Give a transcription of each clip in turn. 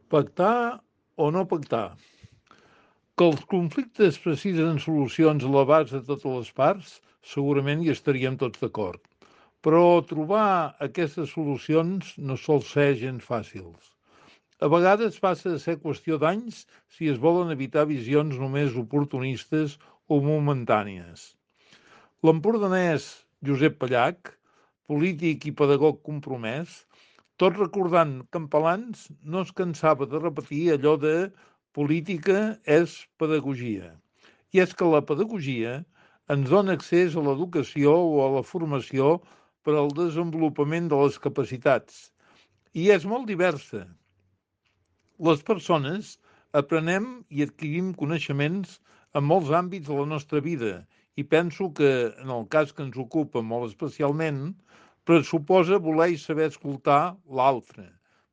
Pactar o no pactar? Que els conflictes precisen solucions a l'abast de totes les parts, segurament hi estaríem tots d'acord. Però trobar aquestes solucions no sol ser gens fàcils. A vegades passa a ser qüestió d'anys si es volen evitar visions només oportunistes o momentànies. L'empordanès Josep Pallach, polític i pedagog compromès, tot recordant Campalans, no es cansava de repetir allò de política és pedagogia. I és que la pedagogia ens dona accés a l'educació o a la formació per al desenvolupament de les capacitats. I és molt diversa. Les persones aprenem i adquirim coneixements en molts àmbits de la nostra vida i penso que, en el cas que ens ocupa molt especialment, pressuposa voler i saber escoltar l'altre,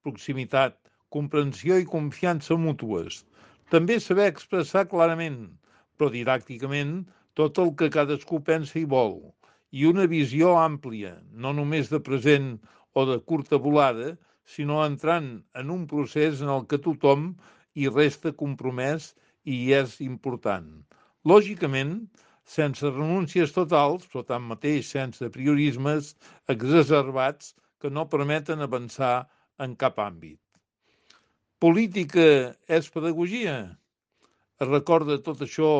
proximitat, comprensió i confiança mútues. També saber expressar clarament, però didàcticament, tot el que cadascú pensa i vol, i una visió àmplia, no només de present o de curta volada, sinó entrant en un procés en el que tothom hi resta compromès i hi és important. Lògicament, sense renúncies totals, però tanmateix sense priorismes exacerbats que no permeten avançar en cap àmbit. Política és pedagogia? Es recorda tot això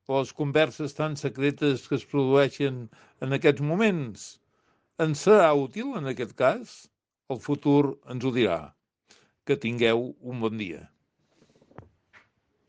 o les converses tan secretes que es produeixen en aquests moments? Ens serà útil en aquest cas? El futur ens ho dirà. Que tingueu un bon dia.